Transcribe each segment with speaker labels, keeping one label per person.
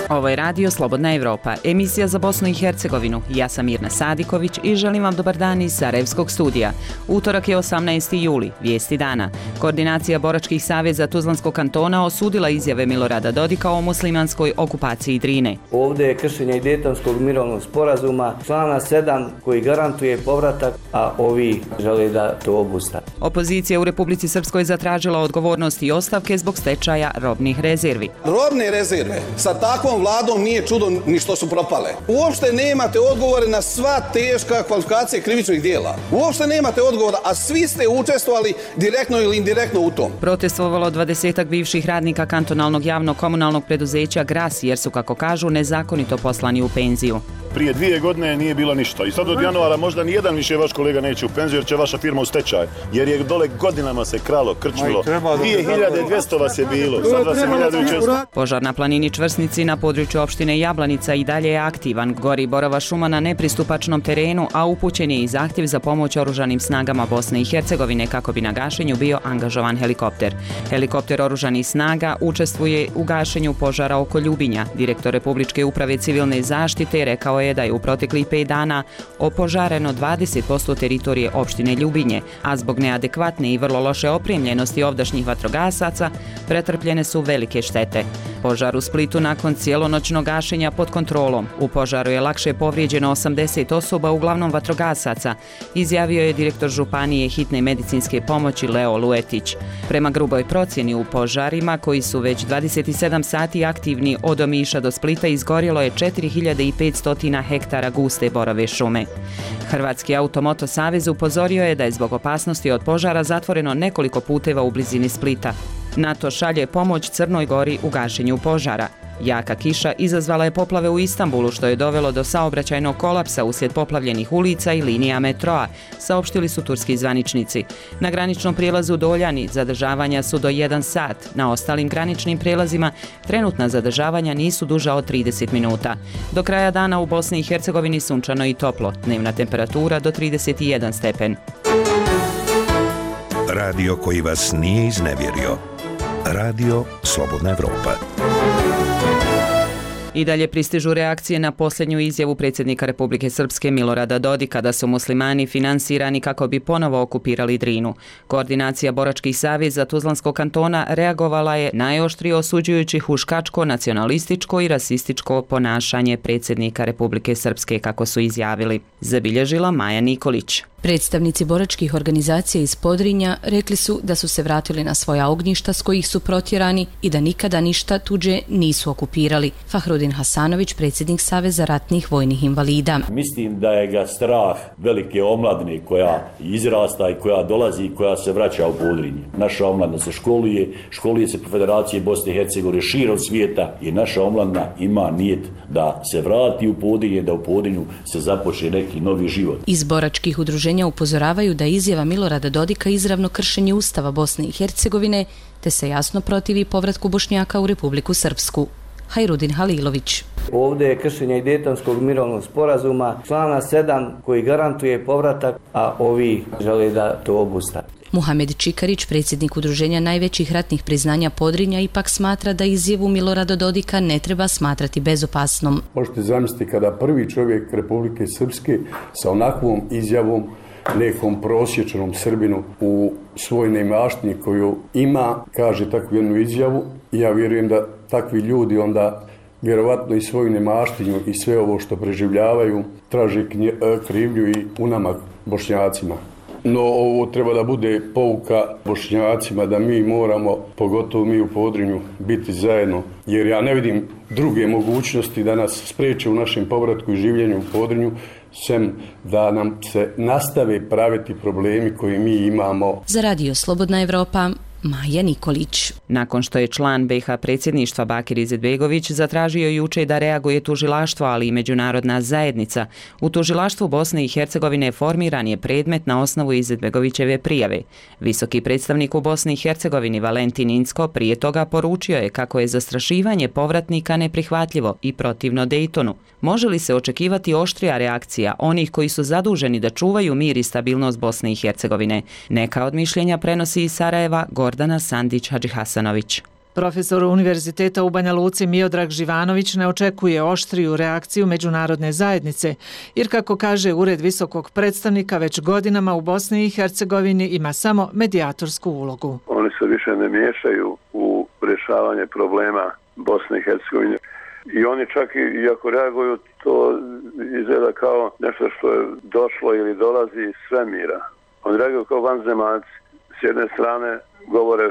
Speaker 1: Ovo je Radio Slobodna Evropa, emisija za Bosnu i Hercegovinu. Ja sam Mirna Sadiković i želim vam dobar dan iz Sarajevskog studija. Utorak je 18. juli, vijesti dana. Koordinacija boračkih saveza Tuzlanskog kantona osudila izjave Milorada Dodika o muslimanskoj okupaciji Drine.
Speaker 2: Ovdje je kršenje i Dejtonskog mirovnog sporazuma, člana 7 koji garantuje povratak, a ovi žele da to obustave.
Speaker 1: Opozicija u Republici Srpskoj zatražila odgovornost i ostavke zbog stečaja robnih rezervi.
Speaker 3: Robne rezerve sa takvom vladom nije čudo ni što su propale. Uopšte nemate odgovore na sva teška kvalifikacije krivičnih djela. Uopšte nemate odgovora, a svi ste učestvovali direktno ili indirektno u tom.
Speaker 1: Protestovalo 20-ak bivših radnika kantonalnog javnog komunalnog preduzeća Gras jer su, kako kažu, nezakonito poslani u penziju.
Speaker 4: Prije 2 godine nije bilo ništa i sad od januara možda nijedan više vaš kolega neće u penziju jer će vaša firma u stečaj. Jer je dole godinama se kralo, krčmilo. 2200 vas je bilo, sad vas je 1600.
Speaker 1: Požar na planini Čvrsnici na području opštine Jablanica i dalje je aktivan. Gori borova šuma na nepristupačnom terenu, a upućen je i zahtjev za pomoć oružanim snagama Bosne i Hercegovine kako bi na gašenju bio angažovan helikopter. Helikopter oružanih snaga učestvuje u gašenju požara oko Ljubinja. Direktor Republičke uprave civilne zaštite rekao je da je u proteklih 5 dana opožareno 20% teritorije opštine Ljubinje, a zbog neadekvatne i vrlo loše opremljenosti ovdašnjih vatrogasaca pretrpljene su velike štete. Požar u Splitu nakon cijelonoćnog gašenja pod kontrolom. U požaru je lakše povrijeđeno 80 osoba, uglavnom vatrogasaca, izjavio je direktor županije hitne medicinske pomoći Leo Luetić. Prema gruboj procjeni u požarima, koji su već 27 sati aktivni od Omiša do Splita, izgorjelo je 4500 hektara guste borove šume. Hrvatski automoto savez upozorio je da je zbog opasnosti od požara zatvoreno nekoliko puteva u blizini Splita. NATO šalje pomoć Crnoj Gori u gašenju požara. Jaka kiša izazvala je poplave u Istanbulu, što je dovelo do saobraćajnog kolapsa uslijed poplavljenih ulica i linija metroa, saopštili su turski zvaničnici. Na graničnom prijelazu Doljani zadržavanja su do 1 sat, na ostalim graničnim prijelazima trenutna zadržavanja nisu duža od 30 minuta. Do kraja dana u Bosni i Hercegovini sunčano i toplo, dnevna temperatura do 31 stepen.
Speaker 5: Radio koji vas nije iznevjerio. Radio Slobodna Evropa.
Speaker 1: I dalje pristižu reakcije na posljednju izjavu predsjednika Republike Srpske Milorada Dodika da su muslimani finansirani kako bi ponovo okupirali Drinu. Koordinacija boračkih saveza Tuzlanskog kantona reagovala je najoštrije osuđujući huškačko, nacionalističko i rasističko ponašanje predsjednika Republike Srpske, kako su izjavili. Zabilježila Maja Nikolić.
Speaker 6: Predstavnici boračkih organizacija iz Podrinja rekli su da su se vratili na svoja ognjišta s kojih su protjerani i da nikada ništa tuđe nisu okupirali. Fahrudin Hasanović, predsjednik Saveza ratnih vojnih invalida.
Speaker 7: Mislim da je ga strah velike omladine koja izrasta i koja dolazi i koja se vraća u Podrinje. Naša omladina se školuje se po Federaciji Bosne i Hercegovine širom svijeta i naša omladina ima nijet da se vrati u Podrinje, da u Podrinju se započne neki novi život.
Speaker 6: Iz boračkih udruženja upozoravaju da izjava Milorada Dodika izravno kršenje Ustava Bosne i Hercegovine, te se jasno protivi povratku Bošnjaka u Republiku Srpsku. Hajrudin Halilović.
Speaker 2: Ovdje je kršenje i Dejtonskog mirovnog sporazuma, člana 7 koji garantuje povratak, a ovi žele da to obustave.
Speaker 6: Muhamed Čikarić, predsjednik udruženja najvećih ratnih priznanja Podrinja, ipak smatra da izjavu Milorada Dodika ne treba smatrati bezopasnom.
Speaker 8: Možete zamisliti kada prvi čovjek Republike Srpske sa onakvom izjavom nekom prosječnom Srbinu u svoj neimaštini koju ima, kaže takvu jednu izjavu. Ja vjerujem da takvi ljudi onda vjerovatno i svoju neimaštinu i sve ovo što preživljavaju traže krivlju i u nama Bošnjacima. No ovo treba da bude pouka Bošnjacima da mi moramo, pogotovo mi u Podrinju, biti zajedno. Jer ja ne vidim druge mogućnosti da nas spriječe u našem povratku i življenju u Podrinju, sem da nam se nastave praviti problemi koje mi imamo.
Speaker 6: Za Radio Slobodna Evropa, Maja Nikolić.
Speaker 1: Nakon što je član BiH predsjedništva Bakir Izetbegović zatražio juče da reaguje tužilaštvo, ali i međunarodna zajednica, u tužilaštvu Bosne i Hercegovine formiran je predmet na osnovu Izetbegovićeve prijave. Visoki predstavnik u Bosni i Hercegovini Valentin Incko prije toga poručio je kako je zastrašivanje povratnika neprihvatljivo i protivno Dejtonu. Može li se očekivati oštrija reakcija onih koji su zaduženi da čuvaju mir i stabilnost Bosne i Hercegovine? Neka od mišljenja prenosi iz Sarajeva Gordana Sandić Hadžihasanović.
Speaker 9: Profesor Univerziteta u Banja Luci Miodrag Živanović ne očekuje oštriju reakciju međunarodne zajednice, jer kako kaže Ured visokog predstavnika, već godinama u Bosni i Hercegovini ima samo medijatorsku ulogu.
Speaker 10: Oni se više ne miješaju u rješavanje problema Bosne i Hercegovine. I oni čak i ako reaguju, to izgleda kao nešto što je došlo ili dolazi iz svemira. Oni reaguju kao vanzemaljci. S jedne strane govore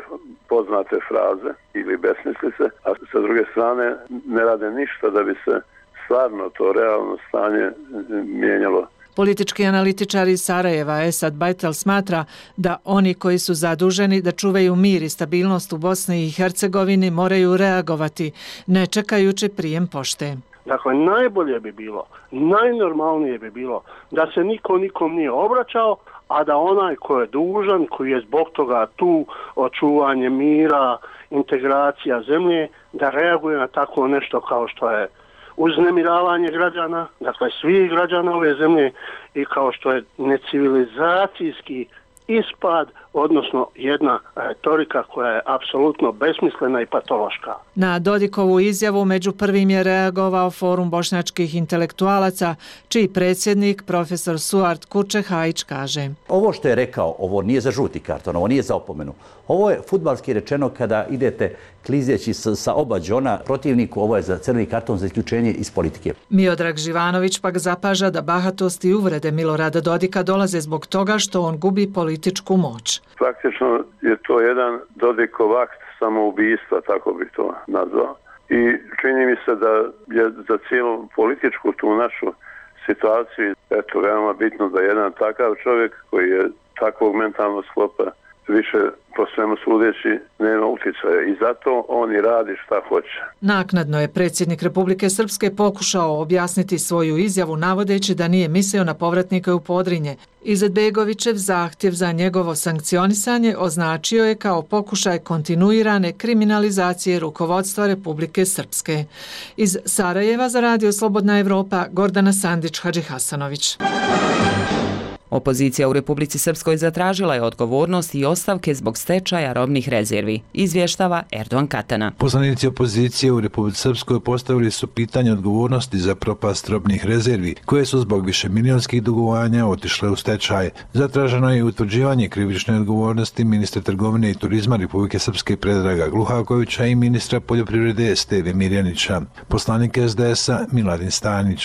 Speaker 10: poznate fraze ili besmislice, a sa druge strane ne rade ništa da bi se stvarno to realno stanje mijenjalo.
Speaker 9: Politički analitičar iz Sarajeva Esad Bajtel smatra da oni koji su zaduženi da čuvaju mir i stabilnost u Bosni i Hercegovini moraju reagovati, ne čekajući prijem pošte.
Speaker 11: Dakle, najbolje bi bilo, najnormalnije bi bilo da se niko nikom nije obraćao, a da onaj ko je dužan, koji je zbog toga tu, očuvanje mira, integracija zemlje, da reaguje na tako nešto kao što je uznemiravanje građana, dakle svih građana ove zemlje, i kao što je necivilizacijski ispad, odnosno jedna retorika koja je apsolutno besmislena i patološka.
Speaker 9: Na Dodikovu izjavu među prvim je reagovao Forum bošnjačkih intelektualaca, čiji predsjednik profesor Suart Kurče-Hajić kaže:
Speaker 12: Ovo što je rekao, ovo nije za žuti karton, ovo nije za opomenu. Ovo je fudbalski rečeno kada idete klizeći sa oba đona protivniku, ovo je za crveni karton, za isključenje iz politike.
Speaker 9: Miodrag Živanović pak zapaža da bahatost i uvrede Milorada Dodika dolaze zbog toga što on gubi političku moć.
Speaker 10: Praktično je to jedan Dodikov akt samoubistva, tako bih to nazvao. I čini mi se da je za cijelu političku tu našu situaciju veoma bitno da jedan takav čovjek koji je takvog mentalnog sklopa više po svemu sudeći nema utjecaja i zato on i radi šta hoće.
Speaker 9: Naknadno je predsjednik Republike Srpske pokušao objasniti svoju izjavu navodeći da nije mislio na povratnike u Podrinje. Izetbegovićev zahtjev za njegovo sankcionisanje označio je kao pokušaj kontinuirane kriminalizacije rukovodstva Republike Srpske. Iz Sarajeva za Radio Slobodna Evropa, Gordana Sandić, Hadži Hasanović.
Speaker 1: Opozicija u Republici Srpskoj zatražila je odgovornost i ostavke zbog stečaja robnih rezervi, izvještava Erdogan Katana.
Speaker 13: Poslanici opozicije u Republici Srpskoj postavili su pitanje odgovornosti za propast robnih rezervi, koje su zbog višemilionskih dugovanja otišle u stečaj. Zatraženo je utvrđivanje krivične odgovornosti ministra trgovine i turizma Republike Srpske Predraga Gluhakovića i ministra poljoprivrede Steve Mirjanića. Poslanik SDS-a Miladin Stanić.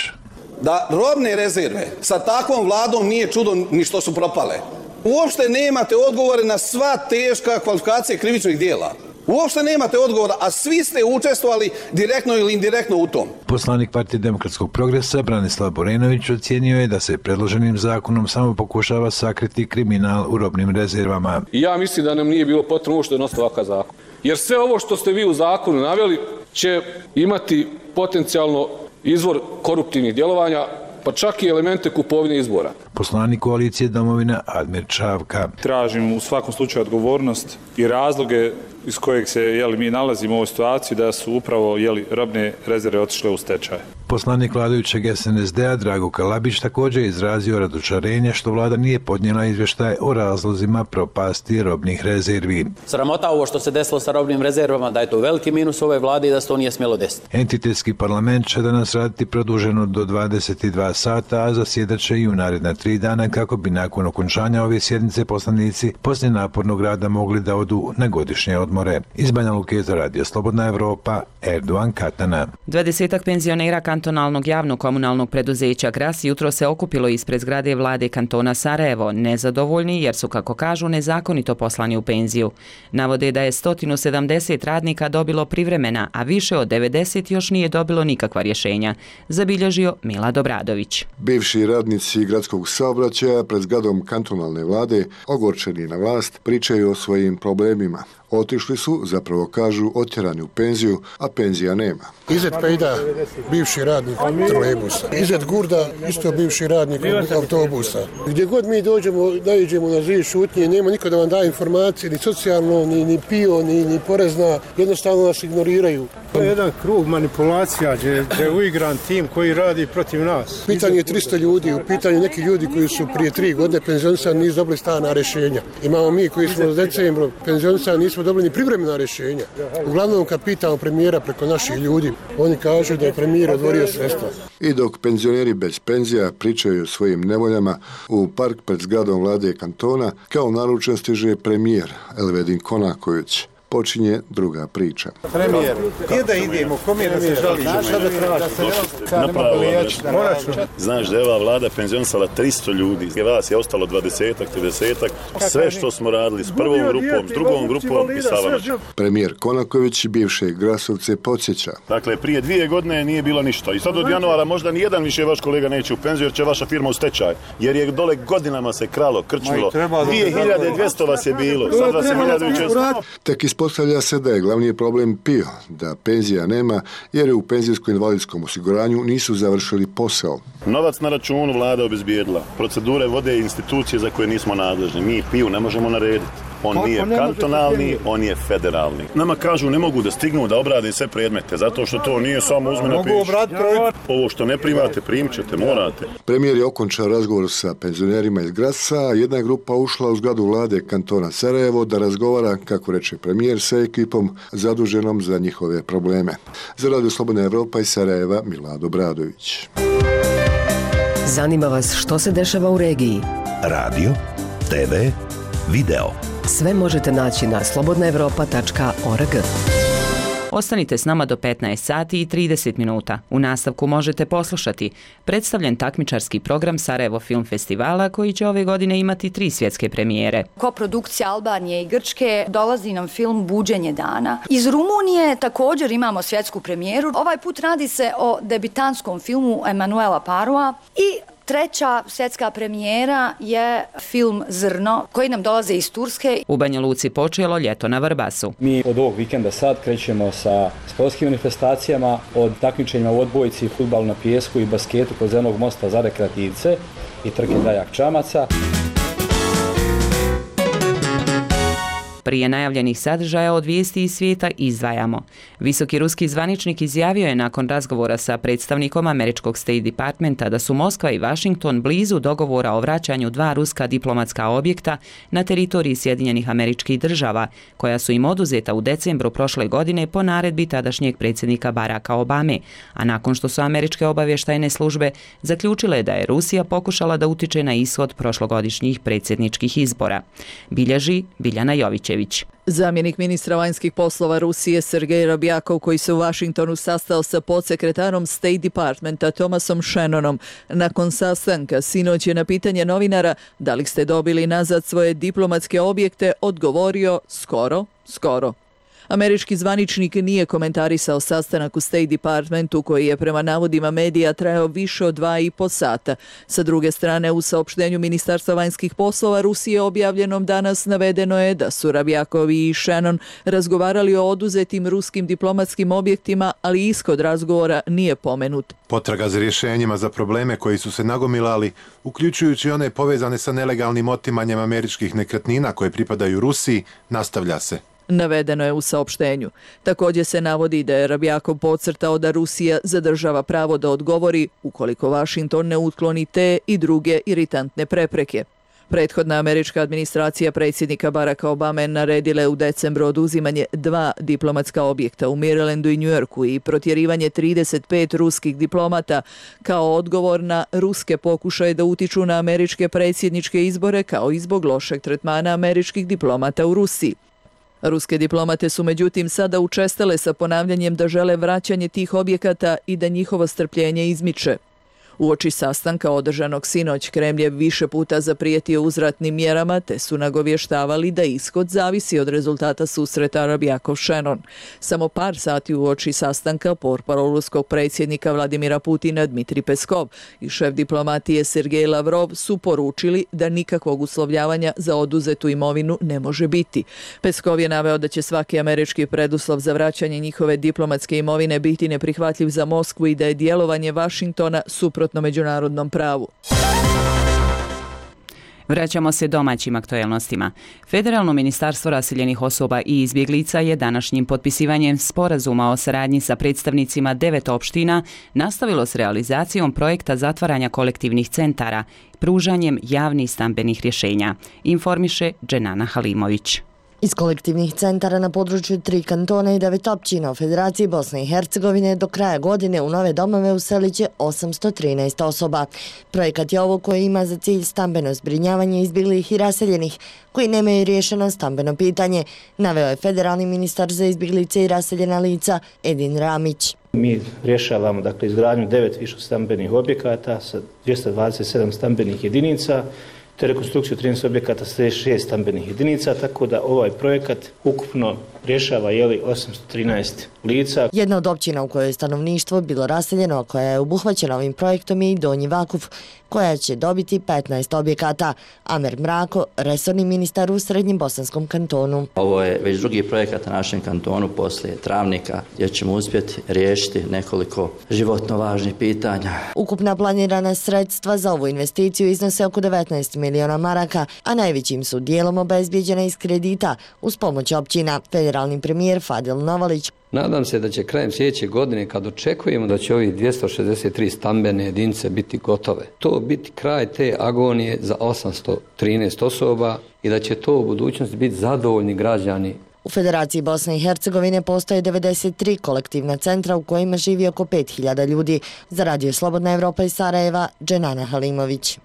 Speaker 3: Da robne rezerve sa takvom vladom nije čudo ni što su propale. Uopšte nemate odgovore na sva teška kvalifikacije krivičnih dijela. Uopšte nemate odgovora, a svi ste učestvovali direktno ili indirektno u tom.
Speaker 13: Poslanik Partije demokratskog progresa Branislav Borenović ocijenio je da se predloženim zakonom samo pokušava sakriti kriminal u robnim rezervama.
Speaker 14: I ja mislim da nam nije bilo potrebno uopšte donositi ovakav zakon. Jer sve ovo što ste vi u zakonu naveli će imati potencijalno izvor koruptivnih djelovanja, pa čak i elemente kupovine izbora.
Speaker 13: Poslanik koalicije Domovina Admir Čavka.
Speaker 15: Tražim u svakom slučaju odgovornost i razloge iz kojeg se mi nalazimo u ovoj situaciji da su upravo robne rezerve otišle u stečaj.
Speaker 13: Poslanik vladajućeg SNSD-a Drago Kalabić također je izrazio razočarenje što vlada nije podnijela izvještaj o razlozima propasti robnih rezervi.
Speaker 16: Sramota ovo što se desilo sa robnim rezervama, da je to veliki minus ove vlade i da se to nije smjelo desiti.
Speaker 13: Entitetski parlament će danas raditi produženo do 22 sata, a zasjedat će i u naredna 3 dana kako bi nakon okončanja ove sjednice poslanici poslije napornog rada mogli da odu na godišnje odmore. Iz Banja Luke za Radio Slobodna Evropa, Erdogan Katana.
Speaker 1: 20 penzionera kantonalnog javnog komunalnog preduzeća Gras jutro se okupilo ispred zgrade vlade kantona Sarajevo, nezadovoljni jer su, kako kažu, nezakonito poslani u penziju. Navode da je 170 radnika dobilo privremena, a više od 90 još nije dobilo nikakva rješenja, zabilježio Milad Obradović.
Speaker 17: Bivši radnici gradskog saobraćaja pred zgradom kantonalne vlade, ogorčeni na vlast, pričaju o svojim problemima. Otišli su, zapravo kažu, otjerani u penziju, a penzija nema.
Speaker 18: Izet Pejda, bivši radnik trolejbusa. Izet Gurda, isto bivši radnik autobusa. Gdje god mi dođemo, naiđemo na zid šutnje, nema niko da vam daje informacije, ni socijalno, ni PIO, ni porezna, jednostavno nas ignoriraju.
Speaker 19: To je jedan krug manipulacija gdje je uigran tim koji radi protiv nas.
Speaker 18: Pitanje je 300 ljudi, u pitanju neki ljudi koji su prije 3 godine penzionisani nisu dobili stana rješenja. Imamo mi koji smo u decembru penzionisani nismo dobili ni privremena rješenja. Uglavnom kad pitamo premijera preko naših ljudi, oni kažu da je premijer odvorio sredstva.
Speaker 17: I dok penzioneri bez penzija pričaju o svojim nevoljama, u park pred zgradom vlade kantona kao naručen stiže premijer Elvedin Konaković. Počinje druga priča.
Speaker 19: Premijer, gdje da idemo, kome da se žalimo?
Speaker 4: Znaš da je ova vlada penzionisala 300 ljudi, vas je ostalo 20-ak, 30-ak, sve što smo radili s prvom grupom, s drugom grupom i sa vama.
Speaker 17: Premijer Konaković bivše Grasovce podsjeća.
Speaker 4: Dakle, prije 2 godine nije bilo ništa i sad od januara možda nijedan više vaš kolega neće u penziju jer će vaša firma u stečaj, jer je dole godinama se kralo, krčmilo, 2200 vas je bilo, sad vas je 1600.
Speaker 17: Tek ispostavlja se da je glavni problem PIO, da penzija nema jer je u penzijsko-invalidskom osiguranju nisu završili posao.
Speaker 4: Novac na računu vlada obezbijedila, procedure vode institucije za koje nismo nadležni, mi PIO ne možemo narediti. On nije kantonalni, on je federalni. Nama kažu ne mogu da stignu da obrade sve predmete, zato što to nije samo uzme na piš. Ovo što ne primate, primit ćete, morate.
Speaker 17: Premijer je okončao razgovor sa penzionerima iz Graca, a jedna grupa ušla u zgradu vlade kantona Sarajevo da razgovara, kako reče premijer, sa ekipom zaduženom za njihove probleme. Za Radio Slobodna Evropa iz Sarajeva, Milado Bradović.
Speaker 20: Zanima vas što se dešava u regiji?
Speaker 5: Radio, TV, video.
Speaker 20: Sve možete naći na slobodnaevropa.org.
Speaker 1: Ostanite s nama do 15 sati i 30 minuta. U nastavku možete poslušati predstavljen takmičarski program Sarajevo Film Festivala koji će ove godine imati 3 svjetske premijere.
Speaker 21: Koprodukcija Albanije i Grčke, dolazi nam film Buđenje dana. Iz Rumunije također imamo svjetsku premijeru. Ovaj put radi se o debitantskom filmu Emanuela Parua i treća svjetska premijera je film Zrno, koji nam dolaze iz Turske.
Speaker 1: U Banja Luci počelo ljeto na Vrbasu.
Speaker 22: Mi od ovog vikenda sad krećemo sa sportskim manifestacijama, od takmičenjima u odbojci, fudbalu na pijesku i basketu kod Zelenog mosta za rekreativce i trke Dajak Čamaca.
Speaker 1: Prije najavljenih sadržaja od vijesti iz svijeta izdvajamo. Visoki ruski zvaničnik izjavio je nakon razgovora sa predstavnikom američkog State Departmenta da su Moskva i Washington blizu dogovora o vraćanju 2 ruska diplomatska objekta na teritoriji Sjedinjenih Američkih Država, koja su im oduzeta u decembru prošle godine po naredbi tadašnjeg predsjednika Baracka Obame, a nakon što su američke obavještajne službe zaključile da je Rusija pokušala da utiče na ishod prošlogodišnjih predsjedničkih izbora. Bilježi Biljana Jović.
Speaker 23: Zamjenik ministra vanjskih poslova Rusije Sergej Rabjakov, koji se u Washingtonu sastao sa podsekretarom State Departmenta Thomasom Shannonom, nakon sastanka sinoć je na pitanje novinara da li ste dobili nazad svoje diplomatske objekte odgovorio skoro. Američki zvaničnik nije komentarisao sastanak u State Departmentu koji je prema navodima medija trajao više od 2,5 sata. Sa druge strane, u saopštenju Ministarstva vanjskih poslova Rusije objavljenom danas navedeno je da su Rabjakov i Shannon razgovarali o oduzetim ruskim diplomatskim objektima, ali ishod razgovora nije pomenut.
Speaker 24: Potraga za rješenjima za probleme koji su se nagomilali, uključujući one povezane sa nelegalnim otimanjem američkih nekretnina koje pripadaju Rusiji, nastavlja se.
Speaker 23: Navedeno je u saopštenju. Također se navodi da je Rabjakov podcrtao da Rusija zadržava pravo da odgovori ukoliko Washington ne utkloni te i druge iritantne prepreke. Prethodna američka administracija predsjednika Baracka Obame naredila je u decembru oduzimanje 2 diplomatska objekta u Marylandu i New Yorku i protjerivanje 35 ruskih diplomata kao odgovor na ruske pokušaje da utiču na američke predsjedničke izbore kao i zbog lošeg tretmana američkih diplomata u Rusiji. Ruske diplomate su međutim sada učestale sa ponavljanjem da žele vraćanje tih objekata i da njihovo strpljenje izmiče. Uoči sastanka održanog sinoć Kremlj je više puta zaprijetio uzvratnim mjerama te su nagovještavali da ishod zavisi od rezultata susreta Rabjakov-Shannon. Samo par sati uoči sastanka portparol ruskog predsjednika Vladimira Putina Dmitri Peskov i šef diplomatije Sergej Lavrov su poručili da nikakvog uslovljavanja za oduzetu imovinu ne može biti. Peskov je naveo da će svaki američki preduslov za vraćanje njihove diplomatske imovine biti neprihvatljiv za Moskvu i da je djelovanje Washingtona suprotno međunarodnom pravu.
Speaker 1: Vraćamo se domaćim aktuelnostima. Federalno ministarstvo raseljenih osoba i izbjeglica je današnjim potpisivanjem sporazuma o saradnji sa predstavnicima 9 opština nastavilo s realizacijom projekta zatvaranja kolektivnih centara, pružanjem javnih stambenih rješenja, informiše Dženana Halimović.
Speaker 2: Iz kolektivnih centara na području 3 kantona i 9 općina u Federaciji Bosne i Hercegovine do kraja godine u nove domove uselit će 813 osoba. Projekat je ovo koji ima za cilj stambeno zbrinjavanje izbjeglih i raseljenih koji nemaju riješeno stambeno pitanje, naveo je federalni ministar za izbjeglice i raseljena lica Edin Ramić.
Speaker 6: Mi rješavamo izgradnju 9 višestambenih objekata sa 227 stambenih jedinica, te rekonstrukciju 13 objekata sa 6 stambenih jedinica, tako da ovaj projekat ukupno rješava 813 lica.
Speaker 2: Jedna od općina u kojoj je stanovništvo bilo raseljeno, a koja je obuhvaćena ovim projektom je i Donji Vakuf, koja će dobiti 15 objekata. Amer Mrako, resorni ministar u Srednjem Bosanskom kantonu.
Speaker 7: Ovo je već drugi projekat na našem kantonu poslije Travnika, gdje ćemo uspjeti riješiti nekoliko životno važnih pitanja.
Speaker 2: Ukupna planirana sredstva za ovu investiciju iznose oko 19 miliona maraka, a najvećim su dijelom obezbijeđena iz kredita uz pomoć općina. Federalni premijer Fadil Novalić.
Speaker 8: Nadam se da će krajem sljedeće godine, kad očekujemo da će ovih 263 stambene jedinice biti gotove, to biti kraj te agonije za 813 osoba i da će to u budućnosti biti zadovoljni građani.
Speaker 2: U Federaciji Bosne i Hercegovine postoje 93 kolektivna centra u kojima živi oko 5000 ljudi. Za Radio Slobodna Evropa iz Sarajeva, Dženana Halimović.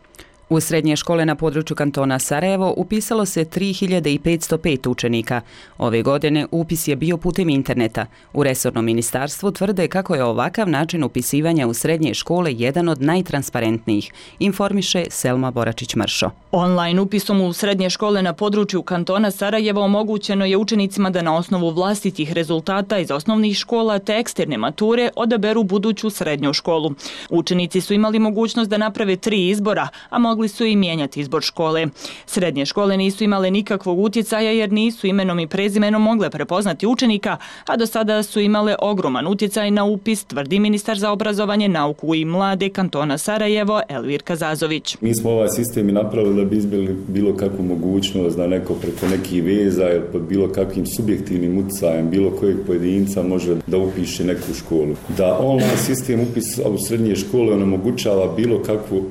Speaker 1: U srednje škole na području kantona Sarajevo upisalo se 3505 učenika. Ove godine upis je bio putem interneta. U resornom ministarstvu tvrde kako je ovakav način upisivanja u srednje škole jedan od najtransparentnijih, informiše Selma Boračić-Mršo.
Speaker 25: Online upisom u srednje škole na području kantona Sarajevo omogućeno je učenicima da na osnovu vlastitih rezultata iz osnovnih škola te eksterne mature odaberu buduću srednju školu. Učenici su imali mogućnost da naprave 3 izbora, a mogli su i mijenjati izbor škole. Srednje škole nisu imale nikakvog utjecaja jer nisu imenom i prezimenom mogle prepoznati učenika, a do sada su imale ogroman utjecaj na upis, tvrdi ministar za obrazovanje, nauku i mlade kantona Sarajevo Elvir Kazazović.
Speaker 26: Mi smo ovaj sistem i napravili da bi izbjegli bilo kakvu mogućnost da neko preko nekih veza ili pod bilo kakvim subjektivnim utjecajem bilo kojeg pojedinca može da upiše neku školu. Da online sistem upisa u srednje škole onemogućava bilo kakvu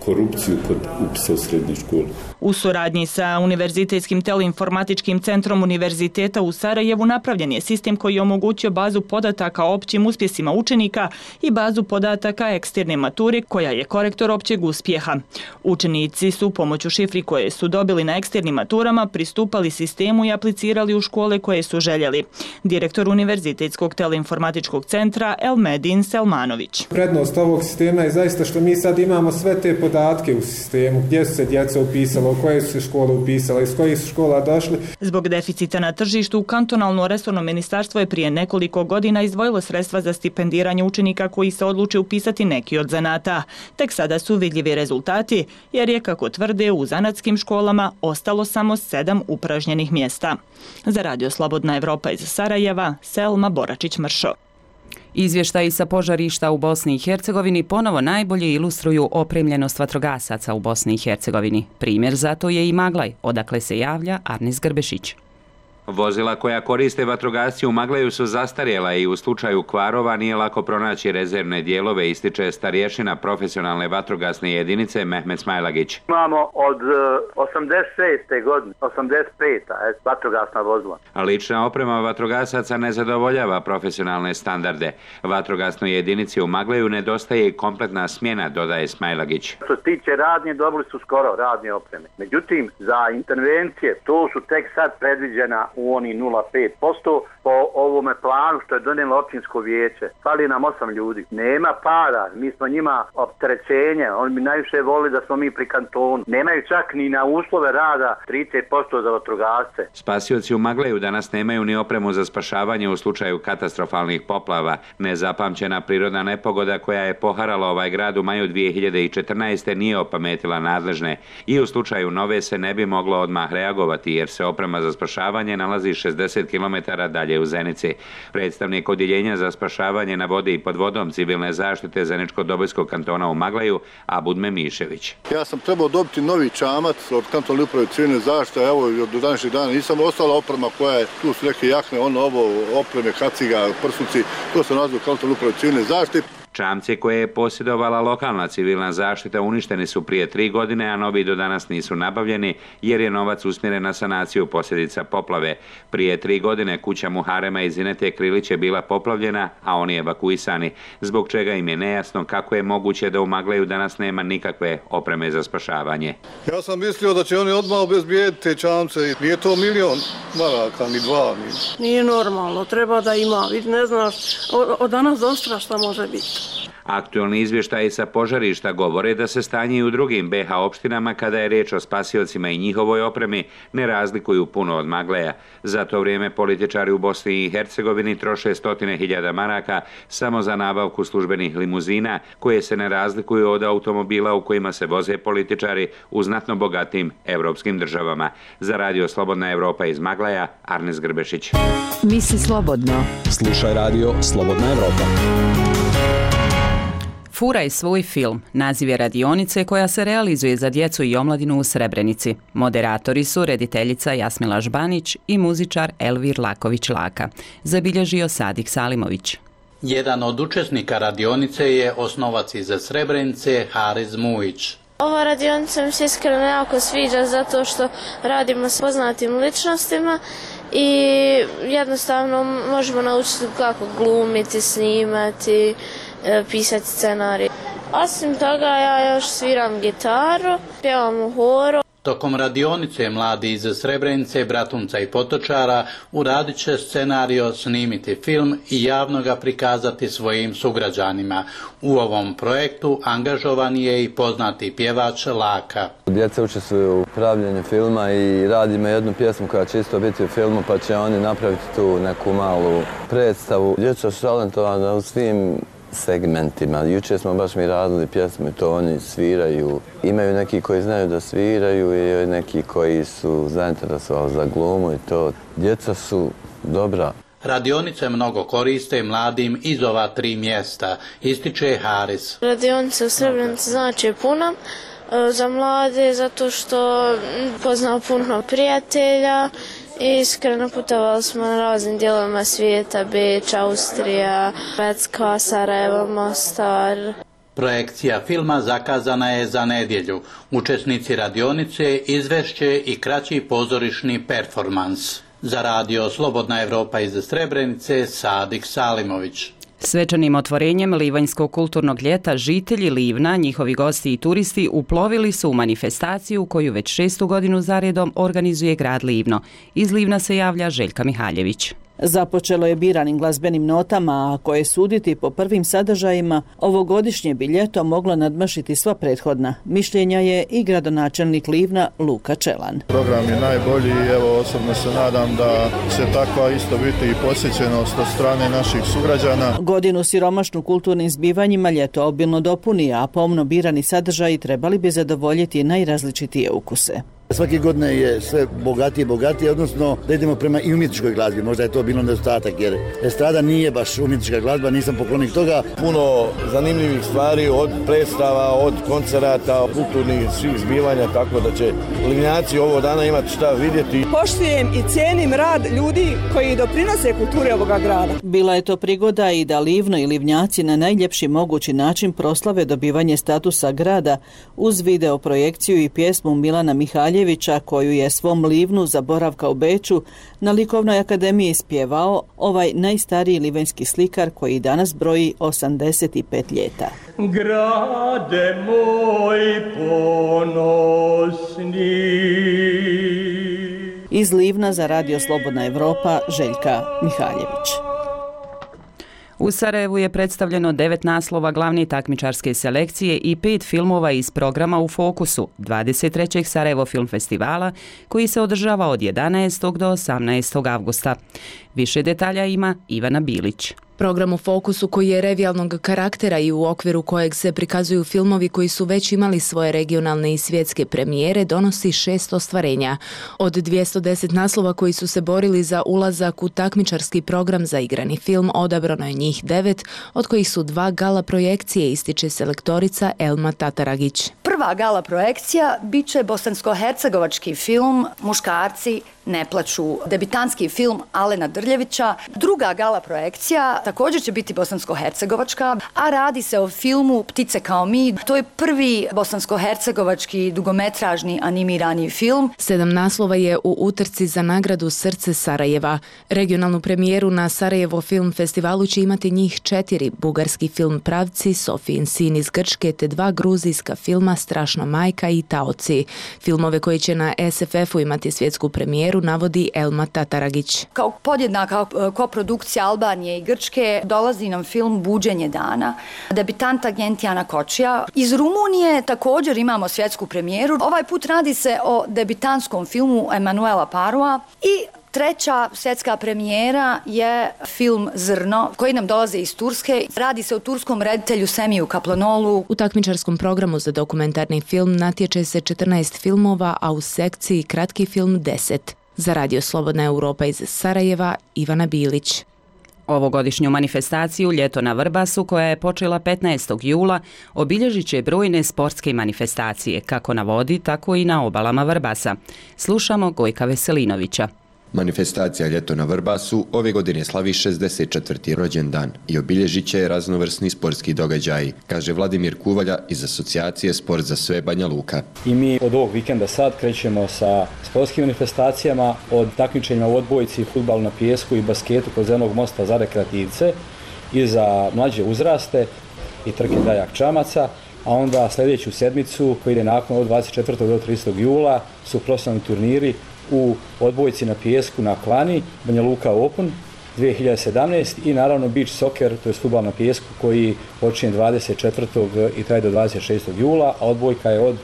Speaker 26: korupciju kod upisa u srednju školu.
Speaker 25: U suradnji sa Univerzitetskim teleinformatičkim centrom Univerziteta u Sarajevu napravljen je sistem koji je omogućio bazu podataka o općim uspjesima učenika i bazu podataka eksterne mature koja je korektor općeg uspjeha. Učenici su pomoću šifri koje su dobili na eksternim maturama pristupali sistemu i aplicirali u škole koje su željeli. Direktor Univerzitetskog teleinformatičkog centra Elmedin Selmanović.
Speaker 27: Prednost ovog sistema je zaista što mi sad imamo sve te podatke u sistemu, gdje su se djeca upisala, u koje su se škole upisala, iz kojih su škola došli.
Speaker 25: Zbog deficita na tržištu, kantonalno resorno ministarstvo je prije nekoliko godina izdvojilo sredstva za stipendiranje učenika koji se odluče upisati neki od zanata. Tek sada su vidljivi rezultati, jer je, kako tvrde, u zanatskim školama ostalo samo 7 upražnjenih mjesta. Za Radio Slobodna Evropa iz Sarajeva, Selma Boračić-Mršo.
Speaker 1: Izvještaji sa požarišta u Bosni i Hercegovini ponovo najbolje ilustruju opremljenost vatrogasaca u Bosni i Hercegovini. Primjer za to je i Maglaj, odakle se javlja Arnis Grbešić.
Speaker 28: Vozila koja koriste vatrogasci u Maglaju su zastarjela i u slučaju kvarova nije lako pronaći rezervne dijelove, ističe starješina profesionalne vatrogasne jedinice Mehmet Smajlagić.
Speaker 29: Imamo od 86. godine, 85. vatrogasna vozila.
Speaker 28: Lična oprema vatrogasaca ne zadovoljava profesionalne standarde. Vatrogasnoj jedinici u Maglaju nedostaje i kompletna smjena, dodaje Smajlagić.
Speaker 29: Što se tiče radnje, dobili su skoro radnje opreme. Međutim, za intervencije, to su tek sad predviđena u oni 0,5% po ovome planu što je donijelo općinsko vijeće. Fali nam 8 ljudi. Nema para, mi smo njima opterećenje, oni bi najviše volili da smo mi pri kantonu. Nemaju čak ni na uslove rada 30% za vatrogasce.
Speaker 28: Spasioci u Maglaju danas nemaju ni opremu za spašavanje u slučaju katastrofalnih poplava. Nezapamćena prirodna nepogoda koja je poharala ovaj grad u maju 2014. nije opametila nadležne i u slučaju nove se ne bi moglo odmah reagovati jer se oprema za spašavanje nalazi 60 km dalje u Zenici. Predstavnik odjeljenja za spašavanje na vodi i pod vodom civilne zaštite Zeničko-Dobojskog kantona u Maglaju, Abudme Mišević.
Speaker 3: Ja sam trebao dobiti novi čamac od kantonalne uprave civilne zaštite, evo do današnjeg dana nisam ostala oprema koja je, tu su neke jakne, opreme, kaciga, prsuci, to se nazva kantonalne uprave civilne zaštite.
Speaker 28: Čamci koje je posjedovala lokalna civilna zaštita uništeni su prije 3 godine, a novi do danas nisu nabavljeni jer je novac usmjeren na sanaciju posljedica poplave. Prije 3 godine kuća Muharema iz Zinete Krilić je bila poplavljena, a oni evakuisani, zbog čega im je nejasno kako je moguće da u Maglaju danas nema nikakve opreme za spašavanje.
Speaker 3: Ja sam mislio da će oni odmah obezbijediti te čamce. Nije to 1.000.000 maraka, ni 2.
Speaker 9: Nije normalno, treba da ima. Ne znaš, od danas do sutra šta može biti.
Speaker 28: Aktualni izvještaji sa požarišta govore da se stanje i u drugim BiH opštinama kada je riječ o spasiocima i njihovoj opremi ne razlikuju puno od Magleja. Za to vrijeme političari u Bosni i Hercegovini troše 100.000 maraka samo za nabavku službenih limuzina koje se ne razlikuju od automobila u kojima se voze političari u znatno bogatim evropskim državama. Za Radio Slobodna Evropa iz Magleja, Arnes Grbešić.
Speaker 20: Misli slobodno.
Speaker 10: Slušaj Radio Slobodna Evropa.
Speaker 1: Furaj svoj film, naziv je radionice koja se realizuje za djecu i omladinu u Srebrenici. Moderatori su rediteljica Jasmila Žbanić i muzičar Elvir Laković-Laka. Zabilježio Sadik Salimović.
Speaker 11: Jedan od učesnika radionice je osnovac iz Srebrenice Haris Mujić.
Speaker 12: Ova radionica mi se iskreno jako sviđa zato što radimo s poznatim ličnostima i jednostavno možemo naučiti kako glumiti, snimati, pisati scenarij. Osim toga ja još sviram gitaru, pjevam u horu.
Speaker 11: Tokom radionice mladi iz Srebrenice, Bratunca i Potočara uradit će scenario, snimiti film i javno ga prikazati svojim sugrađanima. U ovom projektu angažovan je i poznati pjevač Laka.
Speaker 13: Djeca učestvuju u pravljenju filma i radimo jednu pjesmu koja će isto biti u filmu, pa će oni napraviti tu neku malu predstavu. Djeca su talentovana u svim segmentima. Jučer smo baš mi radili pjesme, to oni sviraju. Imaju neki koji znaju da sviraju i neki koji su zainteresovali za glumu i to. Djeca su dobra.
Speaker 11: Radionice mnogo koriste mladim iz ova 3 mjesta, ističe Haris.
Speaker 12: Radionice u Srebrenici znači puno za mlade zato što poznao puno prijatelja. Iskreno putovali smo na raznim dijelovima svijeta, Beč, Austrija, Švedska, Sarajevo, Mostar.
Speaker 11: Projekcija filma zakazana je za nedjelju. Učesnici radionice izvešće i kraći pozorišni performans. Za Radio Slobodna Evropa iz Srebrenice, Sadik Salimović.
Speaker 1: Svečanim otvorenjem Livanjskog kulturnog ljeta žitelji Livna, njihovi gosti i turisti uplovili su u manifestaciju koju već 6. godinu zaredom organizuje grad Livno. Iz Livna se javlja Željka Mihaljević.
Speaker 14: Započelo je biranim glazbenim notama, a koje suditi po prvim sadržajima, ovogodišnje bi ljeto moglo nadmašiti sva prethodna. Mišljenja je i gradonačelnik Livna Luka Čelan.
Speaker 3: Program je najbolji i evo osobno se nadam da će takva isto biti i posjećenost od strane naših sugrađana.
Speaker 14: Godinu siromašnu kulturnim zbivanjima ljeto obilno dopuni, a pomno birani sadržaji trebali bi zadovoljiti najrazličitije ukuse.
Speaker 15: Svake godine je sve bogatije, odnosno da idemo prema i umjetničkoj glazbi. Možda je to bilo nedostatak jer estrada nije baš umjetnička glazba, nisam poklonik toga.
Speaker 16: Puno zanimljivih stvari od predstava, od koncerata, kulturnih svih zbivanja, tako da će Livnjaci ovo dana imati šta vidjeti.
Speaker 14: Poštujem i cijenim rad ljudi koji doprinose kulturi ovoga grada. Bila je to prigoda i da Livno i Livnjaci na najljepši mogući način proslave dobivanje statusa grada uz video projekciju i pjesmu Milana Mihaljevića koju je svom Livnu za boravka u Beču na Likovnoj akademiji ispjevao ovaj najstariji livanjski slikar koji danas broji 85 ljeta.
Speaker 30: Grade moj ponosni.
Speaker 14: Iz Livna za Radio Slobodna Evropa Željka Mihaljević.
Speaker 1: U Sarajevu je predstavljeno 9 naslova glavne takmičarske selekcije i 5 filmova iz programa U fokusu 23. Sarajevo Film Festivala koji se održava od 11. do 18. avgusta. Više detalja ima Ivana Bilić.
Speaker 4: Program u Fokusu, koji je revijalnog karaktera i u okviru kojeg se prikazuju filmovi koji su već imali svoje regionalne i svjetske premijere, donosi 6 ostvarenja. Od 210 naslova koji su se borili za ulazak u takmičarski program za igrani film, odabrano je njih 9, od kojih su 2 gala projekcije, ističe selektorica Elma Tataragić.
Speaker 5: Prva gala projekcija bit će bosansko-hercegovački film Muškarci ne plaču, debitanski film Alena Drljevića. Druga gala projekcija također će biti bosansko-hercegovačka, a radi se o filmu Ptice kao mi. To je prvi bosansko-hercegovački dugometražni animirani film.
Speaker 4: 7 naslova je u utrci za nagradu Srce Sarajeva. Regionalnu premijeru na Sarajevo Film Festivalu će imati njih 4, bugarski film Pravci, Sofijin sin iz Grčke te 2 gruzijska filma Strašna majka i Taoci. Filmove koji će na SFF-u imati svjetsku premijeru navodi Elma Tataragić.
Speaker 5: Kao podjednaka koprodukcija Albanije i Grčke dolazi nam film Buđenje dana, debitanta Gentijana Kočija. Iz Rumunije također imamo svjetsku premijeru. Ovaj put radi se o debitantskom filmu Emanuela Parua i treća svjetska premijera je film Zrno, koji nam dolaze iz Turske. Radi se o turskom reditelju Semiju Kaplanolu.
Speaker 4: U takmičarskom programu za dokumentarni film natječe se 14 filmova, a u sekciji kratki film 10. Za Radio Slobodna Europa iz Sarajeva, Ivana Bilić.
Speaker 1: Ovogodišnju manifestaciju Ljeto na Vrbasu, koja je počela 15. jula, obilježit će brojne sportske manifestacije, kako na vodi, tako i na obalama Vrbasa. Slušamo Gojka Veselinovića.
Speaker 6: Manifestacija Ljeto na Vrbasu ove godine slavi 64. rođendan i obilježit će raznovrsni sportski događaji, kaže Vladimir Kuvalja iz asocijacije Sport za sve Banja Luka.
Speaker 17: I mi od ovog vikenda sad krećemo sa sportskim manifestacijama, od takmičenja u odbojci, fudbalu na pijesku i basketu kod Zelenog mosta za rekreativce i za mlađe uzraste i trke dajak čamaca, a onda sljedeću sedmicu koji ide nakon od 24. do 30. jula su profesionalni turniri u odbojci na pijesku na Klani, Banja Luka Open 2017 i naravno beach soccer, to je fudbal na pijesku koji počinje 24. i traje do 26. jula, a odbojka je od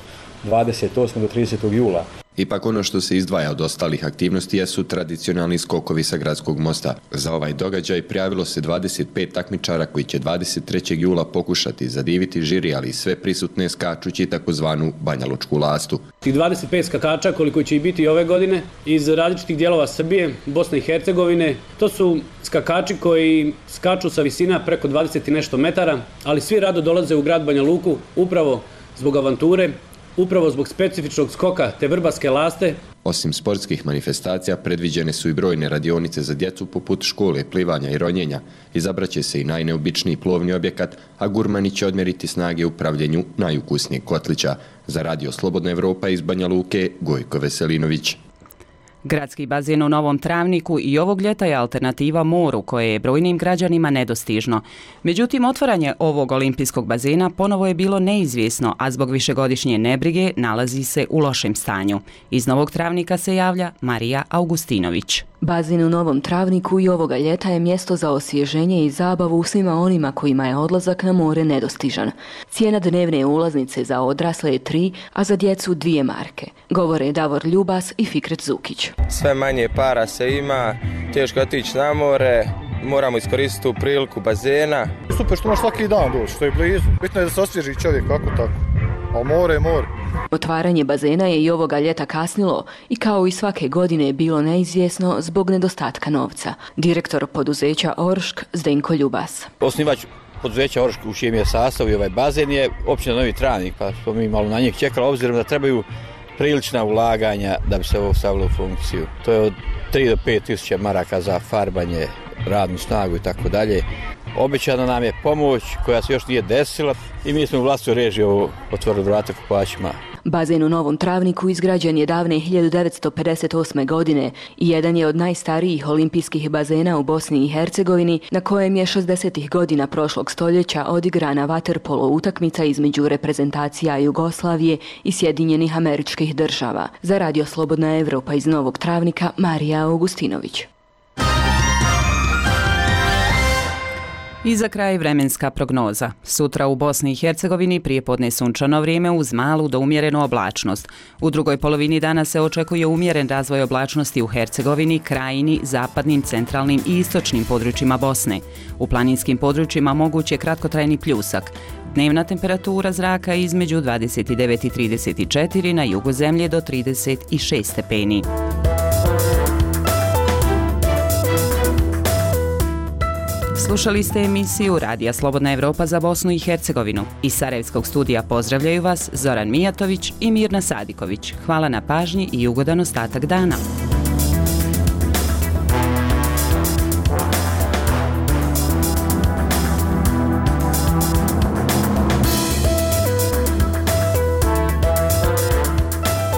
Speaker 17: 28. do 30. jula.
Speaker 6: Ipak ono što se izdvaja od ostalih aktivnosti jesu tradicionalni skokovi sa gradskog mosta. Za ovaj događaj prijavilo se 25 takmičara koji će 23. jula pokušati zadiviti žiri, ali i sve prisutne skačući takozvanu banjalučku lastu.
Speaker 18: Tih 25 skakača koliko će i biti ove godine iz različitih dijelova Srbije, Bosne i Hercegovine, to su skakači koji skaču sa visina preko 20 i nešto metara, ali svi rado dolaze u grad Banja Luku upravo zbog avanture, upravo zbog specifičnog skoka te vrbaske laste.
Speaker 6: Osim sportskih manifestacija, predviđene su i brojne radionice za djecu poput škole, plivanja i ronjenja. Izabraće se i najneobičniji plovni objekat, a gurmani će odmjeriti snage u pravljenju najukusnijeg kotlića. Za Radio Slobodna Evropa iz Banja Luke, Gojko Veselinović.
Speaker 1: Gradski bazen u Novom Travniku i ovog ljeta je alternativa moru, koje je brojnim građanima nedostižno. Međutim, otvaranje ovog olimpijskog bazena ponovo je bilo neizvjesno, a zbog višegodišnje nebrige nalazi se u lošem stanju. Iz Novog Travnika se javlja Marija Augustinović.
Speaker 19: Bazen u Novom Travniku i ovoga ljeta je mjesto za osvježenje i zabavu svima onima kojima je odlazak na more nedostižan. Cijena dnevne ulaznice za odrasle je 3, a za djecu 2 marke. Govore Davor Ljubas i Fikret Zukić.
Speaker 21: Sve manje para se ima, teško otići na more, moramo iskoristiti tu priliku bazena.
Speaker 22: Super što možeš svaki dan doći, što je blizu. Bitno je da se osvježi čovjek, kako tako. A more je more.
Speaker 19: Otvaranje bazena je i ovoga ljeta kasnilo i kao i svake godine je bilo neizvjesno zbog nedostatka novca. Direktor poduzeća Oršk Zdenko Ljubas.
Speaker 23: Osnivač poduzeća Oršk u čijem je sastavu i ovaj bazen je općina Novi Travnik, pa smo mi malo na njih čekali, obzirom da trebaju prilična ulaganja da bi se ovo stavilo u funkciju. To je od 3 do 5 tisuća maraka za farbanje, radnu snagu i tako dalje. Obećana nam je pomoć koja se još nije desila i mi smo u vlastnoj režiji otvorili vrata kupačima.
Speaker 19: Bazen u Novom Travniku izgrađen je davne 1958. godine i jedan je od najstarijih olimpijskih bazena u Bosni i Hercegovini, na kojem je 60. godina prošlog stoljeća odigrana vaterpolo utakmica između reprezentacija Jugoslavije i Sjedinjenih Američkih Država. Za Radio Slobodna Evropa iz Novog Travnika, Marija Augustinović.
Speaker 1: I za kraj vremenska prognoza. Sutra u Bosni i Hercegovini prijepodne sunčano vrijeme uz malu do umjerenu oblačnost. U drugoj polovini dana se očekuje umjeren razvoj oblačnosti u Hercegovini, Krajini, zapadnim, centralnim i istočnim područjima Bosne. U planinskim područjima moguć je kratkotrajni pljusak. Dnevna temperatura zraka između 29 i 34, na jugu zemlje do 36 stepeni. Slušali ste emisiju Radija Slobodna Evropa za Bosnu i Hercegovinu. Iz Sarajevskog studija pozdravljaju vas Zoran Mijatović i Mirna Sadiković. Hvala na pažnji i ugodan ostatak dana.